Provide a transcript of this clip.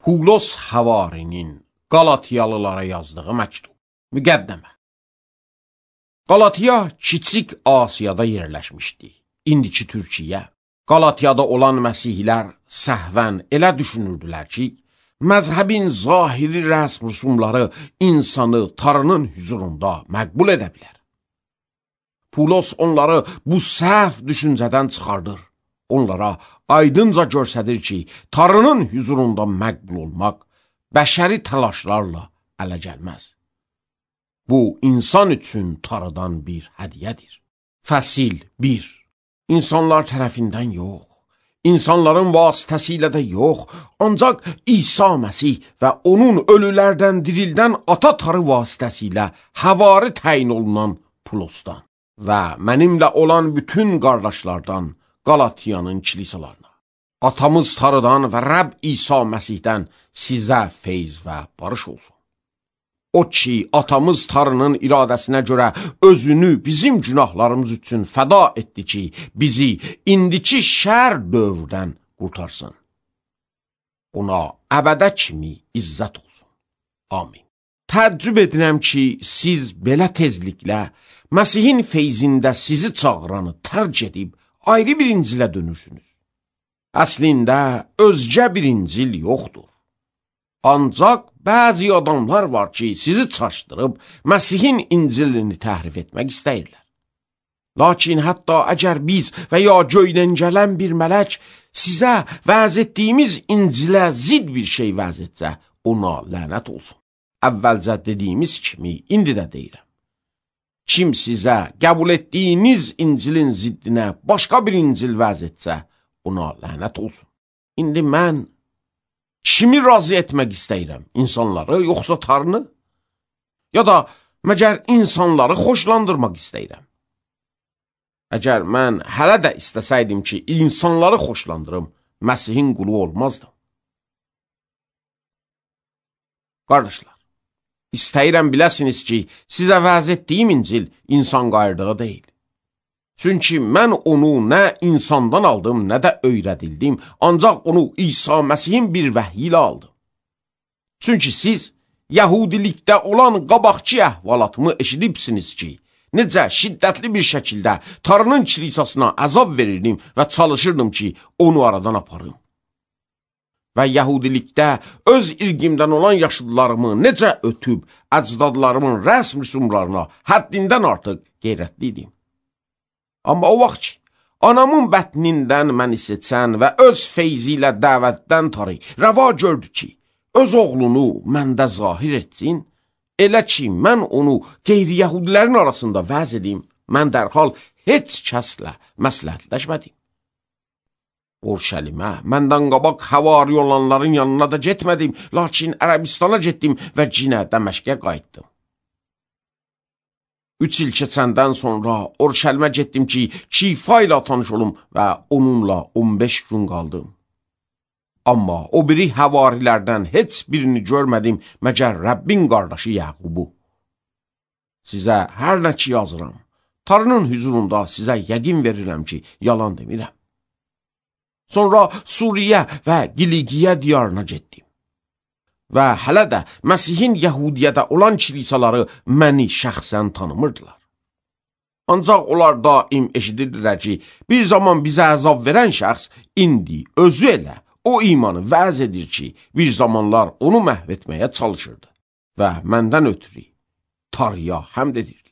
Pulos Havarinin Qalatiyalılara yazdığı məktub. Müqəddəmə. Qalatiya Kiçik Asiyada yerləşmişdi. İndiki Türkiyə. Qalatiyada olan məsihlər səhvən elə düşünürdülər ki, məzhəbin zahiri rəsm rüsumları insanı Tanrının hüzurunda məqbul edə bilər. Pulos onları bu səhv düşüncədən çıxardır. Onlara aydınca göstərir ki, Tanrının hüzurunda məqbul olmaq bəşəri təlaşlarla ələ gəlməz. Bu, insan üçün Tanrıdan bir hədiyyədir. Fəsil 1. İnsanlar tərəfindən yox, insanların vasitəsilə də yox, ancaq İsa Məsih və onun ölülərdən dirildən ata Tanrı vasitəsilə həvari təyin olunan Pulosdan və mənimlə olan bütün qardaşlardan Qalatiyanın kilisalarına. Atamız Tanrıdan və Rəbb İsa Məsihdən sizə feyz və barış olsun. O ki, atamız Tanrının iradəsinə görə özünü bizim günahlarımız üçün fəda etdi ki, bizi indiki şər dövrdən qurtarsın. Ona əbədə kimi izzət olsun. Amin. Təəccüb edirəm ki, siz belə tezliklə Məsihin feyzində sizi çağıranı tərk edib ayrı bir İncilə dönürsünüz. Əslində, özgə bir İncil yoxdur. Ancaq bəzi adamlar var ki, sizi çaşdırıb Məsihin İncilini təhrif etmək istəyirlər. Lakin hətta əgər biz və ya göydən gələn bir mələk sizə vəz etdiyimiz İncilə zid bir şey vəz etsə, ona lənət olsun. Əvvəlcə dediyimiz kimi, indi də deyirəm. Kim sizə qəbul etdiyiniz İncilin ziddinə başqa bir İncil vəz etsə, ona lənət olsun. İndi mən kimi razı etmək istəyirəm? İnsanları, yoxsa Tanrını? Ya da məgər insanları xoşlandırmaq istəyirəm? Əgər mən hələ də istəsəydim ki, insanları xoşlandırım, Məsihin qulu olmazdım. Qardaşlar, istəyirəm biləsiniz ki, sizə vəz etdiyim İncil insan qayırdığı deyil. Çünki mən onu nə insandan aldım, nə də öyrədildim, ancaq onu İsa Məsihin bir vəhyi ilə aldım. Çünki siz Yahudilikdə olan qabaqçı əhvalatımı eşidibsiniz ki, necə şiddətli bir şəkildə Tanrının kilisasına əzab verirdim və çalışırdım ki, onu aradan aparım. Və Yahudilikdə öz irqimdən olan yaşlılarımı necə ötüb, əcdadlarımın rəsm rüsumlarına həddindən artıq qeyrətliydim. Amma o vaxt ki, anamın bətnindən məni seçən və öz feyzi ilə dəvətdən Tanrı rəva gördü ki, öz oğlunu məndə zahir etsin, elə ki, mən onu qeyri-Yahudilərin arasında vəz edim, mən dərhal heç kəslə məsləhətləşmədim. Urşəlimə, məndən qabaq həvari olanların yanına da getmədim, lakin Ərəbistana getdim və cinə Dəməşqə qayıtdım. 3 il keçəndən sonra Urşəlimə getdim ki, Kifa ilə tanış olum və onunla 15 gün qaldım. Amma o biri həvarilərdən heç birini görmədim, məgər Rəbbin qardaşı Yaqubu. Sizə hər nə ki yazıram, Tanrının hüzurunda sizə yəqin verirəm ki, yalan demirəm. Sonra Suriyə və Qiliqiyə diyarına getdim. Və hələ də Məsihin Yəhudiyədə olan kilisaları məni şəxsən tanımırdılar. Ancaq onlar daim eşidirdilər ki, bir zaman bizə əzab verən şəxs indi özü elə o imanı vəz edir ki, bir zamanlar onu məhv etməyə çalışırdı və məndən ötürü Tanrıya həmd edirdi.